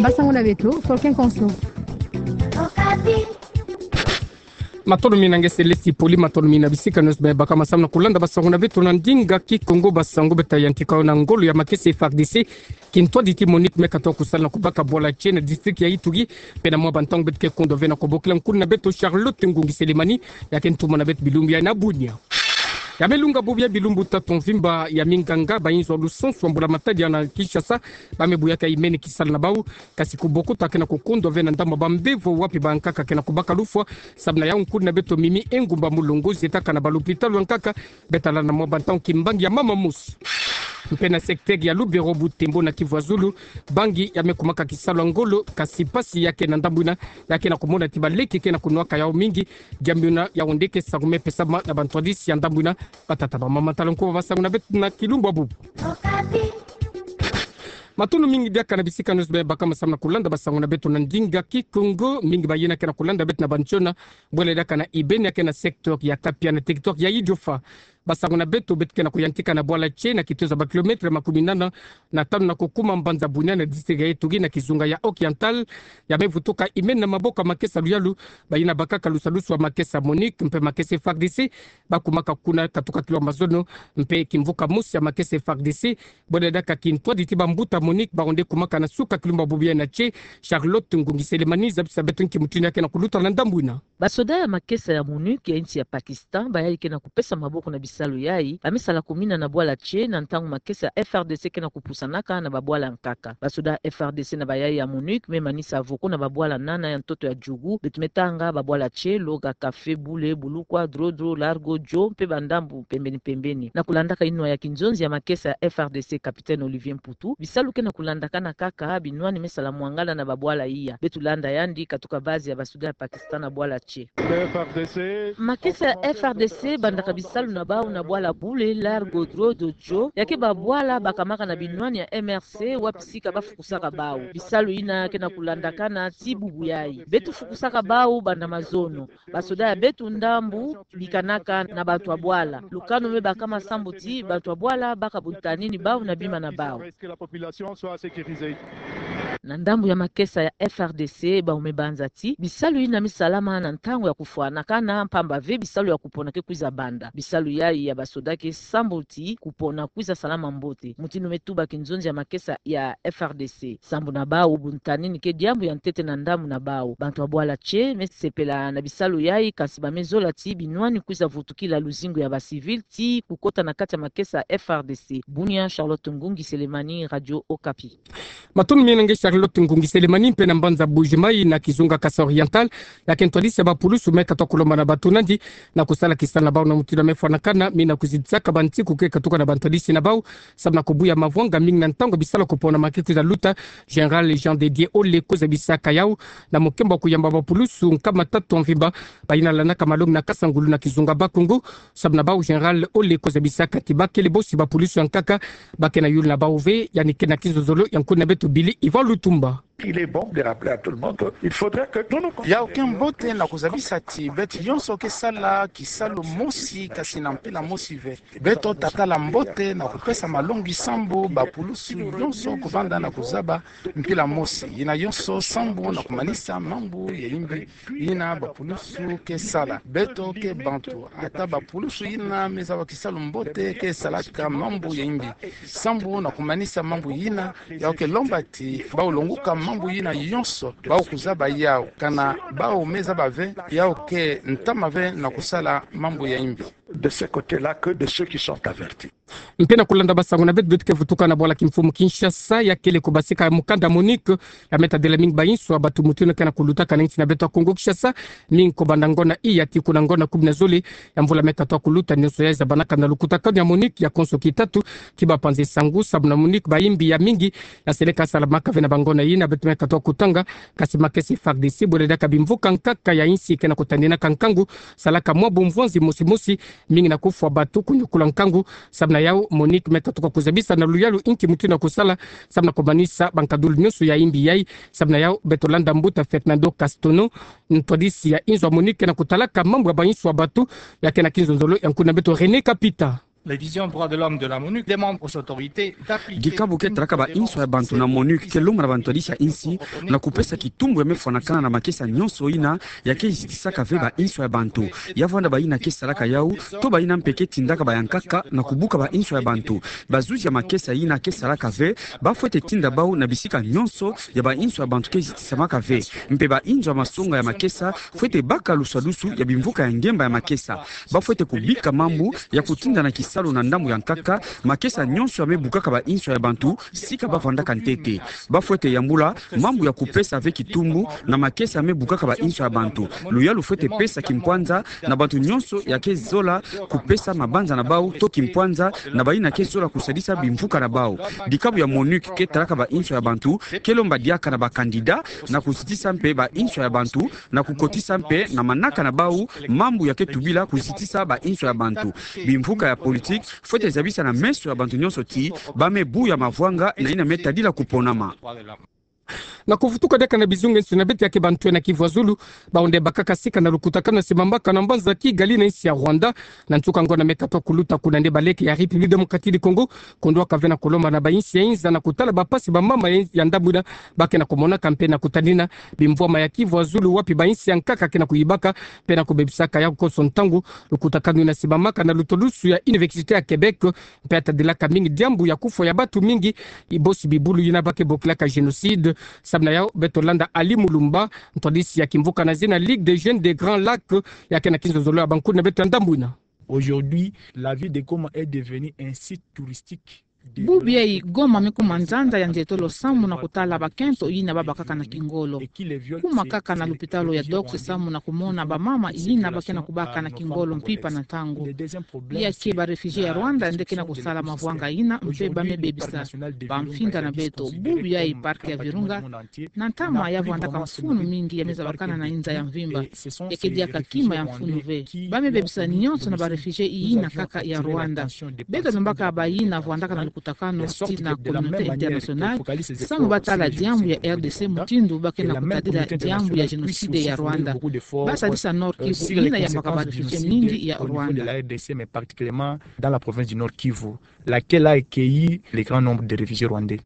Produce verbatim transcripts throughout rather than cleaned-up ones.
Basango na beto, Folken Konso. Matondo mingi na nge Selesi Poli, matondo mingi na bisika nyonso bie bakama samu na kulanda basango na beto na ndinga Kikongo. Basango beto ta yantika yo na ngolo ya makesa ya F A R D C, kintwadi ti MONUC me katoa kusala na kubaka bwala tie na district ya Ituri. Mpe na mwa bantangu beto ke kundwa ve na kubokila nkuna na beto Charlotte Ngungi Selemani, ya ke ntumwa na beto bilumbu yayi na Bunia. Ya me lunga bubu ya bilumbu tatu mvimba ya minganga ba inzo lusansu wa mbula matadi na Kinshasa ba me buyaka imene kisala na bau. Kasi kuboko ta ke na kukundwa ve na ndambu ba mbevo wapi bankaka ke na kubaka lufwa. Samu na yau nkuna na beto Mimi Engumba Mulongo zietaka na ba lupitalu ya nkaka, beto ta landa na mwa bantangu kimbangi ya mama mosi. Mpe na secteur ya Lubero, Butembo na Kivu ya Zulu, bangi ya me kumaka kisalu ya ngolo, kasi mpasi ya ke na ndambu ina, ya ke na kumona ti baleke ke na kunwaka yau mingi. Diambu ina yau nde ke sakumepesama na bantwadisi ya ndambu ina. Batata, bamama, tala nkuba basango na beto na kilumbu ya bubu. Matondo mingi diaka na bisika nyonso bie bakama samu na kulanda basango na beto na ndinga Kikongo. Mingi ba yina ke na kulanda beto na bantiona bwele diaka na ibeni ya ke na secteur ya Kapia na territoire ya Idiofa. Basango na beto beto ke na kuyantika na bwala tie na kitoza ba kilomètre makumi nana na tanu na kukuma mbanza Bunia na district ya Ituri na kizunga ya Oriental. Ya me vutuka imene na maboko ya makesa luyalu ba yina bakaka lusalusu wa makesa MONUC mpe makesa F A R D C. Ba kumaka kuna katuka kilumbu ya mazono, mpe kimvuka mosi ya makesa F A R D C bwele diaka kintwadi ti bambuta MONUC ba onde kumaka na suka kilumbu ya bubu yayi na tie. Charlotte Ngungi Selemani zabisa beto nki mutindu ya ke na kuluta na ndambu ina. Basoda ya makesa ya MONUC ya insi ya Pakistan, bayayi ke na kupesa maboko na bisalu yayi, ba me sala kumina na bwala tie na ntangu makesa ya F R D C ke na kupusanaka na babwala nkaka. Basoda ya F R D C na bayayi ya MONUC me manisa voko na babwala nana ya ntoto ya Djugu, beto me tanga babwala tie Loga, Kafé, Bule, Bulukwa, Drodro, Largo, Djo mpe bandambu pembeni pembeni. Na kulandaka inwa ya kinzonzi ya makesa ya F R D C, capitaine Olivier Mputu, bisalu ke na kulandakana kaka, binwani me sala mwangala na babwala iya. Beto landa yandi katuka base ya basoda ya Pakistan na bwala tie. Makesa ya F R D C bandaka bisalu na bau na bwala Bule, Largo, Drodro, Djo, ya ke babwala bakamaka na binwani ya M R C wapi sika ba fukusaka bau. Bisalu ina ke na kulandakana ti bubu yayi. Beto fukusaka bau banda mazono. Basoda ya beto ndambu bikanaka na bantu ya bwala. Lukanu me bakama samu ti bantu ya bwala baka buntanini bau na bima na bau. Na ndambu ya makesa ya F R D C, bau me banza ti bisalu ina me salama na ntangu ya kufwanakana, mpamba ve bisalu ya kupona ke kwiza banda. Bisalu yayi ya basoda ke samu ti kupona kwiza salama mbote, mutindu me tuba kinzonzi ya makesa ya F R D C. Samu na bau, buntanini ke diambu ya ntete na ndambu na bau. Bantu ya bwala tie me sepela na bisalu yayi, kasi ba me zola ti binwani kwiza vutukila luzingu ya ba civil ti kukota na kati ya makesa ya F R D C. Bunia, Charlotte Ngungi Selemani, Radio Okapi. Matondo mingi na nge Charlotte Ngungi Selemani. Mpe na mbanza Mbuji-Mayi na kizunga Kasaï Oriental, ya ke ntwadisi ya bapulusu me katoa kulomba na bato nandi na kusala kisalu na bau na mutindu ya me fwanakana, mingi na kuzidisaka bantiku ke katuka na bantwadisi na bau samu na kubuya mavwanga mingi na ntangu ya bisalu ya kupona ma ke kwiza luta. Général Jean de Dieu Ole ko zabisaka yau na mukembo wa kuyamba bapulusu nkama tatu ya mvimba ba yina landaka malongi na Kasangulu na kizunga Bas-Congo. Samu na bau, Général Ole ko zabisaka ti ba kele bosi bapulusu ya nkaka, ba ke na yulu na bau ve. Yandi ke na kinzonzolo ya nkuna na beto Billy Ivan Lutumba. Il est bon de rappeler à tout le monde qu'il faudrait que nous nous... Yau ke mbote na kuzabisa ti beto yonso ke sala kisalu mosi, kasi na mpila mosi ve. Beto ta tala mbote na kupesa malongi sambu bapulusu yonso kuvanda na kuzaba mpila mosi. Yina yonso sambu na kumanisa mambu ya imbi yina bapulusu ke sala. Beto ke bantu, ata bapulusu yina me zaba kisalu mbote ke salaka mambu ya imbi. Sambu na kumanisa mambu yina, yau ke lomba ti bau longuka mambu yina yonso, bau kuzaba yau. Kana bau me zaba ve, yau ke ntama ve na kusala mambu ya imbi. De ce côté-là que de ceux qui sont avertis. Mpe na kulanda basango na beto, beto ke vutuka na bwala kimfumu Kinshasa, ya kele kubasika mukanda MONUC ya me tadila mingi bainso ya bato mutindu ke na kulutaka na insi na beto ya Kongo Kinshasa. Mingi kobanda ngona iya tii kuna ngona kumi na zole ya mvula me katoa kuluta. Nyonso yayi zabanaka na lukutakanu ya MONUC ya konso kitatu ki bapanzi sango. Samu na MONUC, baimbi ya mingi ya seleka salamaka ve na bangona yina. Beto me katoa kutanga, kasi makesa F A R D C, bwele diaka bimvuka nkaka ya insi ke na kutaninaka nkangu, salaka mwa bumvwanzi mosi mosi, mingi na kufwa bato, kunyukula nkangu. Samu na yau, MONUC me katuka kuzabisa na luyalu inki mutindu ya kusala samu na kumanisa bankadulu nyonso ya imbi yayi. Samu na yau, beto landa mbuta Fernando Castono, ntwadisi ya inzo ya MONUC ke na kutalaka mambu ya bainso ya bato, ya ke na kinzonzolo ya nkuna beto René Kapita. La division droits de l'homme de la MONUC demande aux autorités d'appliquer. Dikabu ke tadaka ba inswa ya bantu na MONUC ke lomba na ba ntwadisi ya insi na kupesa kitumbu ya me fwanakana na makesa nyonso ina ya ke zitisaka ve ba inswa ya bantu. Ya vwanda ba ina ke salaka yau, to ba ina mpe ke tindaka ba ya nkaka na kubuka ba inswa ya bantu. Bazuzi ya makesa ina ke salaka ve, ba fwete tinda bau na bisika nyonso ya ba inswa ya bantu ke zitisamaka ve. Mpe ba inzo ya masonga ya makesa fwete baka luswadusu ya bimvuka ya ngemba ya makesa. Ba fwete kubika mambu ya kutinda na kisalu na ndambu ya nkaka makesa nyonso ya me bukaka ba inswa ya bantu, sika ba vwandaka ntete. Ba fwete yambula mambu ya kupesa ve kitumbu na makesa ya me bukaka ba inswa ya bantu. Luyalu fwete pesa kimpwanza na bantu nyonso ya ke zola kupesa mabanza na bau to kimpwanza na ba ina ke zola kusadisa bimvuka na bau. Dikabu ya MONUC ke tadaka ba inswa ya bantu ke lomba diaka na ba candidat na kuzitisa mpe ba inswa ya bantu na kukotisa mpe na manaka na bau mambu ya ke tubila kuzitisa ba inswa ya bantu. Bimvuka ya politique fwete zabisa na meso ya bantu nyonso ti ba me buya mavwanga na ina me tadila kuponama. Na kuvutuka diaka na bizungenso na beto ya ke bantwenia Kivu ya Zulu, bau nde bakaka sika na lukutakanu na simbamaka na mbanza Kigali na insi ya Rwanda, na nsuka ngonda me katuka kuluta kuna nde baleke ya République Démocratique du Congo, kundwaka ve na kulomba na ba insi ya inza na kutala ba mpasi ba mama ya, ya ndambu ina ba ke na kumonaka mpe na kutadina bimvwama ya Kivu ya Zulu wapi ba insi ya nkaka ke na kuyibaka mpe na kubebisaka yau konso ntangu. Lukutakanu ina simbamaka na lutwadusu ya Université ya Québec, mpe ya tadilaka mingi diambu ya kufwa ya bantu mingi, ibosi bibulu ina ba ke bokilaka génocide. Samu na yau beto landa Ali Mulumba, ntwadisi ya kimvuka na zina Ligue des Jeunes des Grands Lacs, ya ke na kinzonzolo ya bankulu na beto ya ndambu ina. Aujourd'hui, la ville de Goma est devenue un site touristique. Bubu yayi Goma me kuma nzanza ya nzietolo samu na kutala bakento ina ba bakaka na kingolo. Kuma kaka na lupitalu ya Docks samu na kumona ba mama ina ba ke na kubaka na kingolo mpimpa na ntangu. Ya ke ba réfugiés ya Rwanda nde ke na kusala mavwanga ina mpe ba me bebisa ba mfinda na beto. Bubu yayi parc ya Virunga na ntama ya vwandaka mfunu mingi ya me zabakana na inza ya mvimba. Ya ke diaka kima ya mfunu ve. Ba me bebisa nyonso na ba réfugiés ina kaka ya Rwanda. Beto lombaka ba ina vwandaka na lukutakanu ti na communauté internationale samu ba tala diambu ya R D C mutindu ba ke na kutadila diambu ya génocide ya Rwanda. Ba sadisa Nord-Kivu ina yambaka ba réfugiés mingi ya Rwanda. La R D C, mais particulièrement dans la province du Nord-Kivu, laquelle a accueilli le grand nombre de réfugiés rwandais.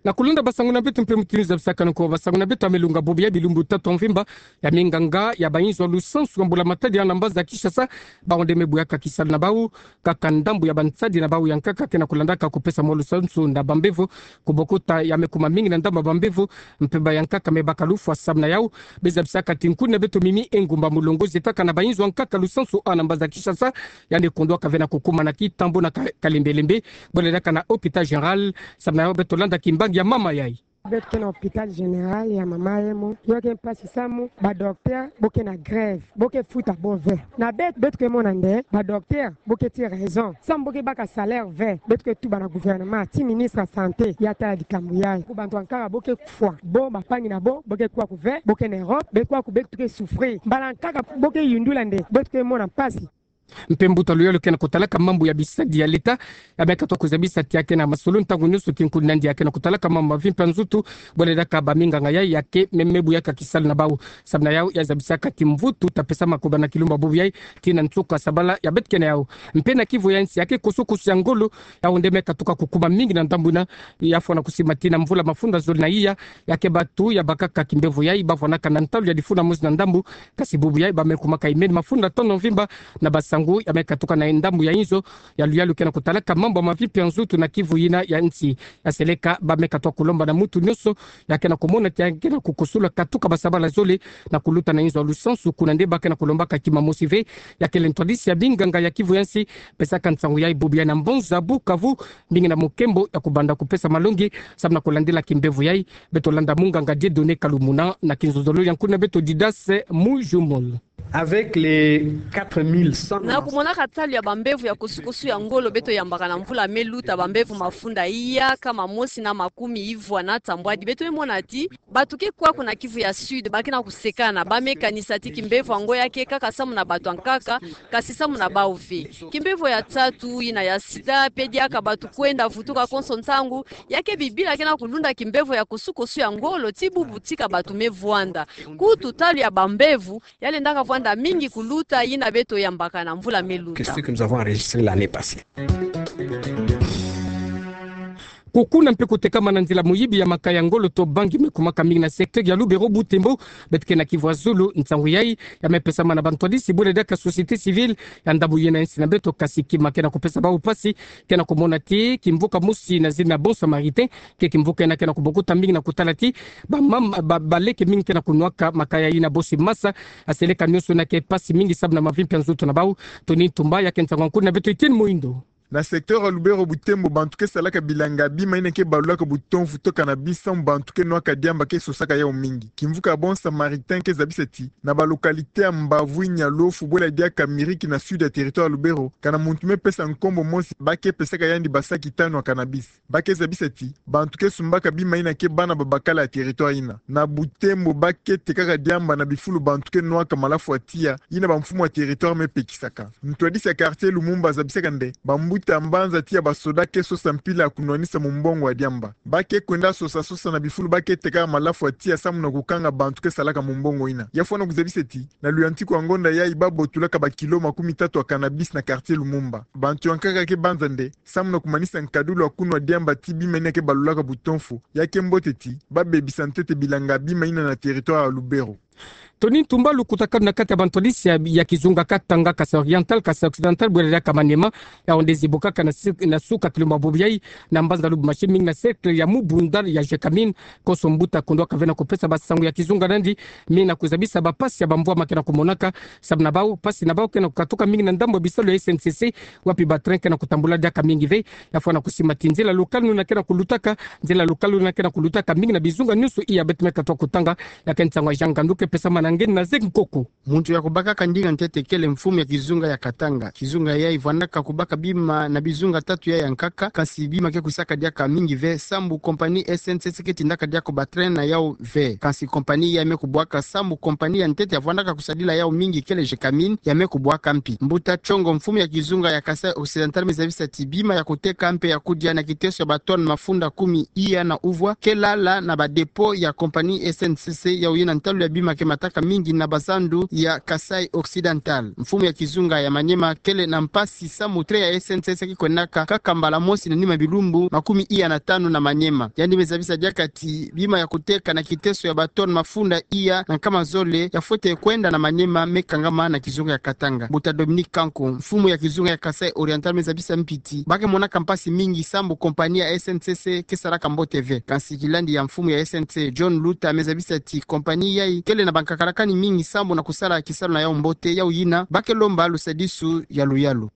Na kulenda basangu na beto mpe mutindu zabisakana ko, basangu na beto ya me lunga bubu yayi bilumbu tatu ya mvimba, ya minganga ya ba inzo ya lusansu ya mbula matadi na mbanza Kinshasa, bau nde me buyaka kisalu na bau, kaka ndambu ya ba nsadi na bau ya nkaka ke na kulandaka kupesa mwa lusansu na ba mbevo, kubokota ya me kuma mingi na ndambu ya ba mbevo, mpe ba ya nkaka me baka lufwa. Samu na yau, be zabisaka ti nkuni na beto Mimi Engumba, mulongozi etaka na ba inzo ya nkaka lusansu a na mbanza Kinshasa, yandi kundwaka ve na kukuma na kitambo na ka-, kalembelembe, bole diaka na hôpital général, samu na yau beto landa kimbangi ya mama yayi. Beto ke na hôpital général ya mama yemo, yo ke mpasi samu ba docteur bo ke na grève, bo ke futa bo ve. Na beto, beto ke mona nde ba docteur bo ke ti raison, samu bo ke baka salaire ve. Beto ke tuba na gouvernement ti ministre ya santé ya tala likambu yayi. Ku bantu ya nkaka bo ke kufwa, bo, bampangi na bo, bo ke kuwa ku ve, bo ke na Europe, be kuwa ku beto ke souffrir. Mbala ya nkaka bo ke yundula nde, beto ke mona mpasi. Mpe mbuta luyalu ke na kutalaka mambu ya bisadi ya l'État, ya me katuka kuzabisa ti ya ke na masolo ntangu nyonso ti nkuni na yandi ya ke na kutalaka mambu ma vie mpe ya nzutu, bole diaka ba minganga yayi ya ke me, me buyaka kisalu na bau. Samu na yau ya zabisaka ti mvutu ta pesama kubanda kilumbu ya bubu yayi, tii na nsuka sabala ya beto ke na yau. Mpe na Kivu ya nsi ya ke kusukusu ya ngolo, yau nde me katuka kukuma mingi na ndambu ina, ya fwana kusimbama tii na mvula mafunda zole na iya, ya ke batu ya bakaka kimbevo yayi ba fwanaka na ntalu ya lifuna mosi na ndambu, kasi bubu yayi ba me kumaka imeni mafunda tanu ya mvimba na basangu ya me katuka na ndambu ya inzo ya luyalu ke na kutalaka mambu ma vie mpe ya nzutu na Kivu yina ya nsi. Ya seleka ba me katuka kulomba na muntu nyonso ya ke na kumona ti ya ke na kukusula katuka basabala zole na kuluta na inzo ya lusansu, kuna nde ba ke na kulombaka kima mosi ve. Ya kele ntwadisi ya binganga ya Kivu ya nsi pesaka nsangu yayi bubu yayi na mbanza Bukavu, mingi na mukembo ya kubanda kupesa malongi samu na kulandila kimbevo yayi. Beto landa munganga Dieudonné Kalumuna na kinzonzolo ya nkuni na beto Didace Mujumol. Avec les quatre mille cent... Na kumonaka ntalu ya bambevo ya kusukusu ya ngolo beto yambaka na mvula me luta, bambevo mafunda iya kama mosi na makumi ivwa na tambwadi, beto me mona ti bato ke kuwa kuna Kivu ya Sud ba ke na kusekana, ba me kanisa ti kimbevo yango ya ke kaka samu na bato ya nkaka, kasi samu na bau ve. Kimbevo ya tatu, yina ya sida, pe diaka bato kwenda vutuka konso ntangu, ya ke bibila ke na kulunda kimbevo ya kusukusu ya ngolo ti bubu tika bato me vwanda. Kutu ntalu ya bambevo ya lendaka vwanda mingi kuluta yina beto yambaka na mvula me luta. Kukuna mpe kutekama na nzila moyibi ya makaya ngolo to bangi me kumwaka mingi na secteur ya Lubero Butembo, beto ke na kivu ya zulu. Nsangu yayi ya me pesama na bantwadisi bwele diaka société civile ya ndambu yina ya nsi na beto, kasi kima ke na kupesa bawu mpasi ke na kumona ti kimvuka mosi na zina Bon Samaritain ke kimvuka yina ke na kubokuta mingi na kutala ti bamama, ba, baleke mingi ke na kunwaka makaya yina bosi masa, aseleka nionso yina ke mpasi mingi sabu na mavimpi ya nzutu na bawu. Tony Ntumba ya ke nsangu ya nkuna na beto Etienne Moindo. Na secteur ya Lubero Butembo, bantu ke salaka bilanga bima yina ke balulaka butonfu to cannabis samu bantu ke nwaka diamba ke sosaka yawu mingi. Kimvuka Bon Samaritain ke zabisa ti na ba localité ya Mbavu, Nialofu, bwele diaka Miriki na sud ya territoire ya Lubero, kana muntu me pesa nkombo mosi, ba ke pesaka yandi ba saki tanu ya cannabis. Ba ke zabisa ti bantu ke sumbaka bima yina ke bana babakala ya territoire yina. Na Butembo, ba ke tekaka diamba na bifulu bantu ke nwaka malafu ya tiya, yina bamfumu ya territoire me pekisaka. Ntwadisi ya quartier Lumumba azabisaka nde bambuta mbanza tiya basoda ke sosa mpila ya kunwanisa mumbongo ya diamba. Ba ke kwenda sosa sosa na bifulu ba ke tekaka malafu ya tiya samu na kukanga bantu ke salaka mumbongo yina. Ya fwana kuzabisa ti na luyantiku ya ngonda yayi ba botulaka ba kilo makumi tatu ya cannabis na quartier Lumumba. Bantu ya nkaka ke banza nde samu na kumanisa nkadulu ya kunwa diamba ti bima yina ke balulaka butonfu. Ya ke mbote ti ba bebisa ntete bilanga bima yina na territoire ya Lubero. Tony Ntumba, lukutakanu na kati ya bantwadisi ya, ya kizunga Katanga, Kasaï Oriental, Kasaï Occidental, bwele diaka Maniema, yawu nde zibukaka na su-, na suka kilumbu bubu yayi, na mbanza lubu masi mingi na cercle ya Mubunda ya Gécamines, konso mbuta kundwaka ve na kupesa basangu ya kizunga na yandi, mingi na kuzabisa bampasi ya bamvwama ke na kumonaka, sabu na bawu, mpasi na bawu ke na kukatuka mingi na ndambu ya bisalu ya S N C C, wapi ba train ke na kutambula diaka mingi ve. Ya fwana kusimba ti nzila locale nuna ke na kulutaka, nzila locale nuna ke na kulutaka mingi na bizunga nionso iya. Beto me katuka kutanga, ya ke nsangu ya Jean Ngandu ke pesama na nge na Zek Nkoko. Muntu ya kubakaka ndinga ntete kele mfumu ya kizunga ya Katanga. Kizunga yayi vwandaka kubaka bima na bizunga tatu yayi ya nkaka, kansi bima ke kwisaka diaka mingi ve, sambu compagnie S N C C ke tindaka diaka ba train na yawu ve. Kansi compagnie yayi me kubwaka, sambu compagnie ya ntete ya vwandaka kusadila yawu mingi kele Gécamines, ya me kubwaka mpi. Mbuta Tchongo, mfumu ya kizunga ya Kasaï Occidental, me zabisa ti bima ya kuteka mpe ya kudia na kiteso ya ba tonnes mafunda kumi iya na uvwa ke lala na ba dépôt ya compagnie S N C C, yawu yina ntalu ya bima ke mataka mingi na bazandu ya Kasaï Occidental. Mfumu ya kizunga ya Maniema kele na mpasi samu train ya S N C C ke kwendaka kaka mbala mosi na nima bilumbu makumi iya na tanu na Maniema. Yandi me zabisa diaka ti bima ya kuteka na kiteso ya ba tonnes mafunda iya na nkama zole ya fwete kwenda na Maniema me kangama na kizunga ya Katanga. Mbuta Dominique Kanko, mfumu ya kizunga ya Kasaï Oriental, me zabisa mpi ti ba ke monaka mpasi mingi sambu compagnie ya S N C C ke salaka mbote ve. Kansi kilandi ya mfumu ya S N C, John Luta, me zabisa ti compagnie yayi kele na bankakalakani mingi sambu na kusala kisalu na yawu mbote, yawu yina ba ke lomba lusadisu ya luyalu.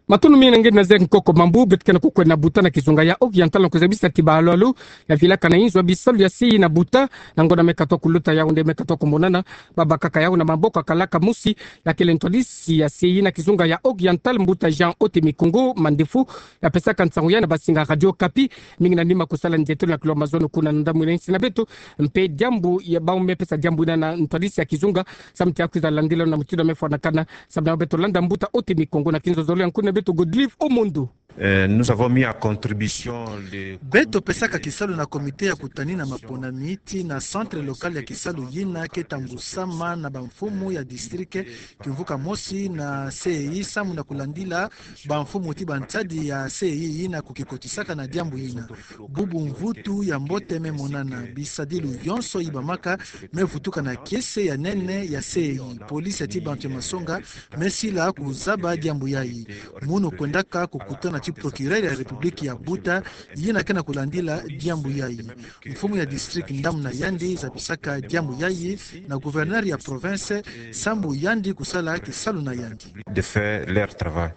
Matondo mingi na nge na Zek Nkoko. Mambu beto ke na kukwenda buta na kizunga ya Oriental, na kuzabisa ti balu-alu ya vilaka na inzo ya bisalu ya C I na buta, na ngonda me katuka kuluta, yawu nde me katuka kumonana, babakaka yawu na maboko ya kalaka mosi, ya kele ntwadisi ya C I na kizunga ya Oriental, mbuta Jean Ote Mikongo Mandefu, ya pesaka nsangu yayi na bansinga Radio Okapi, mingi na nima kusala nzietolo na kilo mazono kuna na ndambu yina ya nsi na beto, mpe diambu ya bawu me pesa diambu yina na ntwadisi ya kizunga, samu ti akwiza landila na mutindu me fwanakana, samu na beto landa mbuta Ote Mikongo na kinzozolo ya nkuna na beto Godlive Omondo. Euh, nous avons mis à contribution le Beto pesaka kisalu na comité ya kutanina maponami tii na centre local ya kisalu yina ke tambusama na bamfumu ya district kimvuka mosi na C E I samu na kulandila bamfumu tii bansadi ya C E I yina kukikotisaka na diambu yina. Bubu mvutu ya mbote me monana, bisadilu yonso yi bamaka me vutuka na kiese ya nene ya C E I. Polisi tii bantu ya masonga me sila kuzaba diambu yayi. Munu kwendaka kukutana tii procureur ya République ya buta, yina ke na kulandila diambu yayi. Mfumu ya district ndambu na yandi zabisaka diambu yayi na gouverneur ya province, sambu yandi kusala kisalu na yandi. De faire leur travail.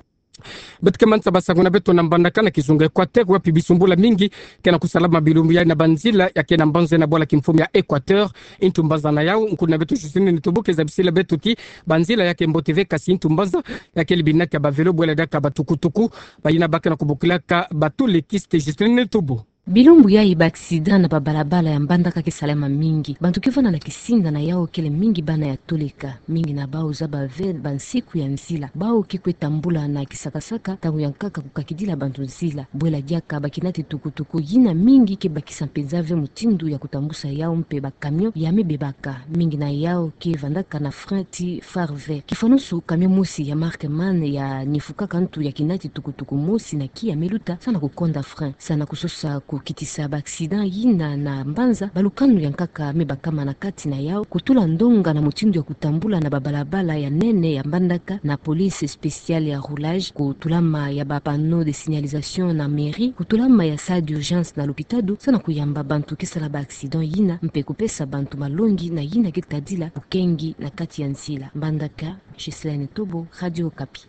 Beto ke manisa basangu na beto na mbandaka na kizunga Équateur, wapi bisumbula mingi ke na kusalama bilumbu yayi na banzila ya ke na mbanza na bwala kimfumu ya Équateur. Intu mbanza na yawu, nkuna na beto Justine Nitobo ke zabisila beto ti banzila ya ke mbote ve, kansi intu mbanza ya ke libinaka ba vélo bwela diaka ba tukutuku, bayina ba ke na kubokilaka ba tolekiste. Justine Nitobo. Bilumbu yayi ba accident na babalabala ya Mbandaka ke salama mingi. Bantu ke vanda na kisinda na yau kele mingi bana ya toleka, mingi na bau zaba ve bansiku ya nzila. Bau ke kwe tambula na kisakasaka, ntangu ya nkaka kukakidila bantu nzila. Bwela diaka ba kinati tukutuku yina mingi ke bakisa mpenza ve mutindu ya kutambusa yau mpe ba camion ya me bebaka. Mingi na yau ke vandaka na frein ti phare vert. Kifwanusu, camion mosi ya marque MAN ya nifukaka ntu ya kinati tukutuku mosi na kiya me luta, sa na kukonda frein. Sa na kusosa kukitisa ba accident yina na mbanza, balukanu ya nkaka me bakama na kati na yau, kutula ndonga na mutindu ya kutambula na babalabala ya nene ya Mbandaka na police spéciale ya roulage, kutulama ya ba panneaux de signalisation na mairie, kutulama ya salle d'urgence na lopitalo, sa na kuyamba bantu ke sala ba accident yina, mpe kupesa bantu malongi na yina ke tadila bukengi na kati ya nzila. Mbandaka, Ghislaine Tobo, Radio Okapi.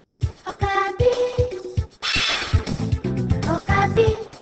Okapi. Okapi.